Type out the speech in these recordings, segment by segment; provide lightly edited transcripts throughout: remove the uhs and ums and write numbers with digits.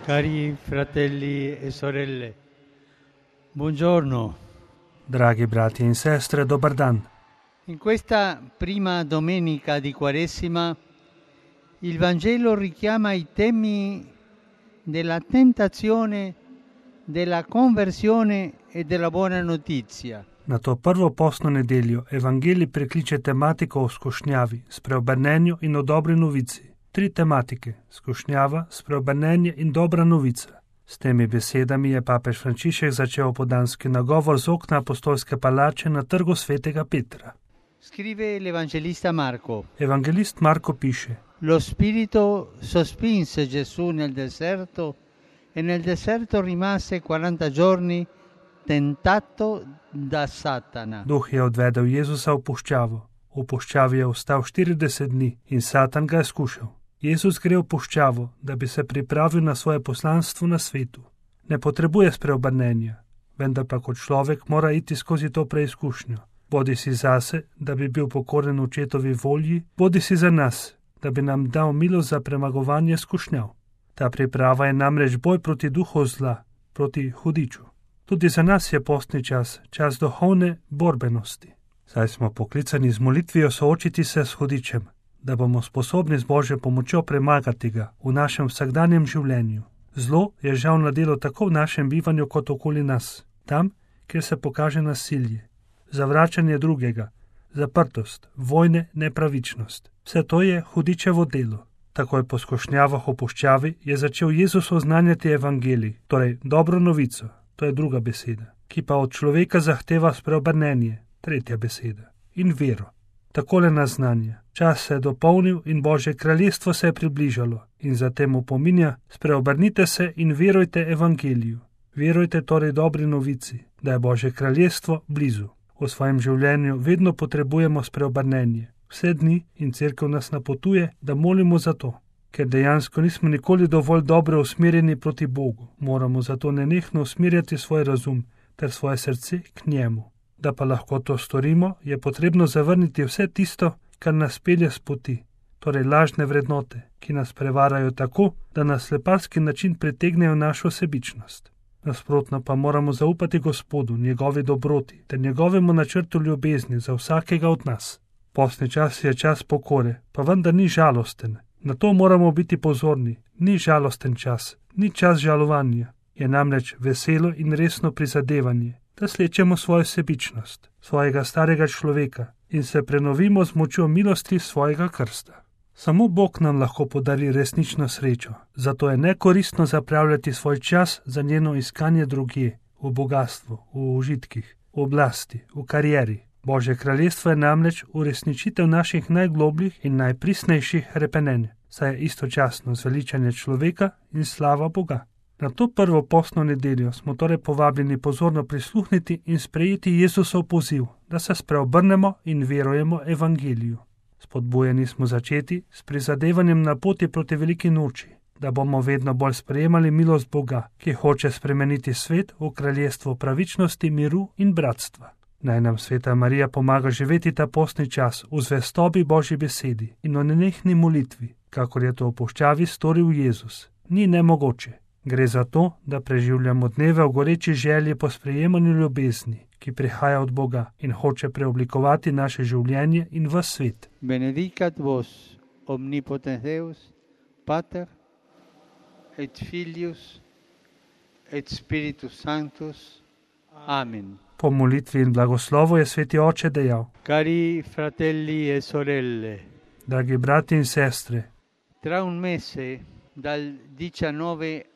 Cari fratelli e sorelle, buongiorno. Dragi brati in sestre, dobar dan. In questa prima domenica di Quaresima il Vangelo richiama i temi della tentazione, della conversione e della buona notizia. Na to prvo postno nedeljo Evangelij prekliče tematiko o skušnjavi, spreobrnenju in o dobri novici. 3 tematike: skušnjava, spreobrnenje in dobra novica. S temi besedami je papež Frančišek začel opoldanski nagovor z okna apostolske palače na trgu svetega Petra. Scrive l'Evangelista Marco. Evangelist Marko piše: Lo Spirito sospinse Gesù nel deserto e nel deserto rimase 40 giorni tentato da Satana. Duh je odvedel Jezusa v puščavo. V puščavi je ostal 40 dni in Satan ga je skušal. Jezus gre v puščavo, da bi se pripravil na svoje poslanstvo na svetu. Ne potrebuje spreobrnenja, vendar pa kot človek mora iti skozi to preizkušnjo. Bodi si zase, da bi bil pokoren očetovi volji, bodi si za nas, da bi nam dal milost za premagovanje skušnjav. Ta priprava je namreč boj proti duhu zla, proti hudiču. Tudi za nas je postni čas, čas duhovne borbenosti. Saj smo poklicani z molitvijo soočiti se s hudičem, da bomo sposobni z Božjo pomočjo premagati ga v našem vsakdanjem življenju. Zlo je žal na delu tako v našem bivanju kot okoli nas, tam, kjer se pokaže nasilje, zavračanje drugega, zaprtost, vojne, nepravičnost. Vse to je hudičevo delo. Takoj po skušnjavah v puščavi je začel Jezus oznanjati evangelij, torej dobro novico, to je druga beseda, ki pa od človeka zahteva spreobrnenje, tretja beseda, in vero. Takole naznanja: čas se je dopolnil in Božje kraljestvo se je približalo, in zatem opominja: spreobrnite se in verujte evangeliju. Verujte torej dobri novici, da je Božje kraljestvo blizu. V svojem življenju vedno potrebujemo spreobrnenje. Vse dni in cerkev nas napotuje, da molimo za to, ker dejansko nismo nikoli dovolj dobro usmerjeni proti Bogu. Moramo zato nenehno usmerjati svoj razum ter svoje srce k njemu. Da pa lahko to storimo, je potrebno zavrniti vse tisto, kar nas pelje s poti, torej lažne vrednote, ki nas prevarajo tako, da na sleparski način pritegnejo našo sebičnost. Nasprotno pa moramo zaupati Gospodu, njegovi dobroti ter njegovemu načrtu ljubezni za vsakega od nas. Postni čas je čas pokore, pa vendar ni žalosten. Na to moramo biti pozorni. Ni žalosten čas, ni čas žalovanja. Je namreč veselo in resno prizadevanje, da slečemo svojo sebičnost, svojega starega človeka in se prenovimo z močjo milosti svojega krsta. Samo Bog nam lahko podari resnično srečo, zato je nekoristno zapravljati svoj čas za njeno iskanje drugje, v bogatstvu, v užitkih, v oblasti, v karieri. Božje kraljestvo je namreč uresničitev naših najglobljih in najpristnejših hrepenenj, saj je istočasno zveličanje človeka in slava Boga. Na to prvo postno nedeljo smo torej povabljeni pozorno prisluhniti in sprejeti Jezusov poziv, da se spreobrnemo in verujemo evangeliju. Spodbujeni smo začeti s prizadevanjem na poti proti veliki noči, da bomo vedno bolj sprejemali milost Boga, ki hoče spremeniti svet v kraljestvo pravičnosti, miru in bratstva. Naj nam Sveta Marija pomaga živeti ta postni čas v zvestobi Božji besedi in o nenehni molitvi, kakor je to v puščavi storil Jezus. Ni nemogoče. Gre za to, da preživljamo dneve v goreči želji po sprejemanju ljubezni, ki prihaja od Boga in hoče preoblikovati naše življenje in v svet. Benedicat vos omnipotens Deus, Pater et Filius et Spiritus Sanctus. Amen. Po molitvi in blagoslovu je Sveti Oče dejal: Cari fratelli e sorelle, dragi brati in sestre, tra un mese, dal 19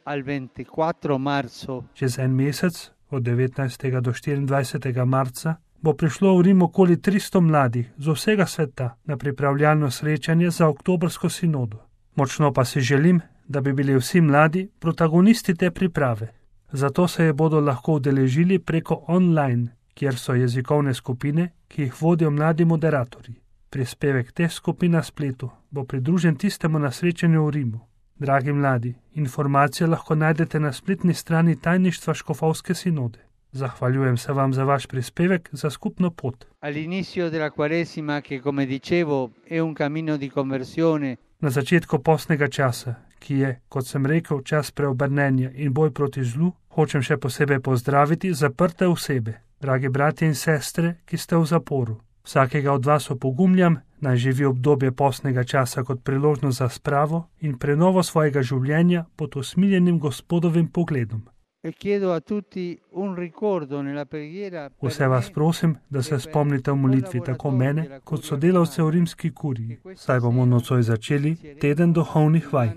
al 24 marzo, čez en mesec, od 19. do 24. marca, bo prišlo v Rim okoli 300 mladih z vsega sveta na pripravljalno srečanje za oktobrsko sinodo. Močno pa si želim, da bi bili vsi mladi protagonisti te priprave. Zato se je bodo lahko udeležili preko online, kjer so jezikovne skupine, ki jih vodijo mladi moderatorji. Prispevek te skupine na spletu bo pridružen tistemu na srečanju v Rimu. Dragi mladi, informacije lahko najdete na spletni strani tajništva Škofovske sinode. Zahvaljujem se vam za vaš prispevek za skupno pot. All'inizio della Quaresima, che come dicevo è un cammino di conversione, Na začetku postnega časa, ki je, kot sem rekel, čas preobrnenja in boj proti zlu, hočem še posebej pozdraviti zaprte osebe, dragi bratje in sestre, ki ste v zaporu. Vsakega od vas opogumljam, naj živi obdobje postnega časa kot priložnost za spravo in prenovo svojega življenja pod usmiljenim Gospodovim pogledom. Vse vas prosim, da se spomnite v molitvi tako mene, kot sodelavce v rimski kuriji. Zdaj bomo nocoj začeli teden duhovnih vaj.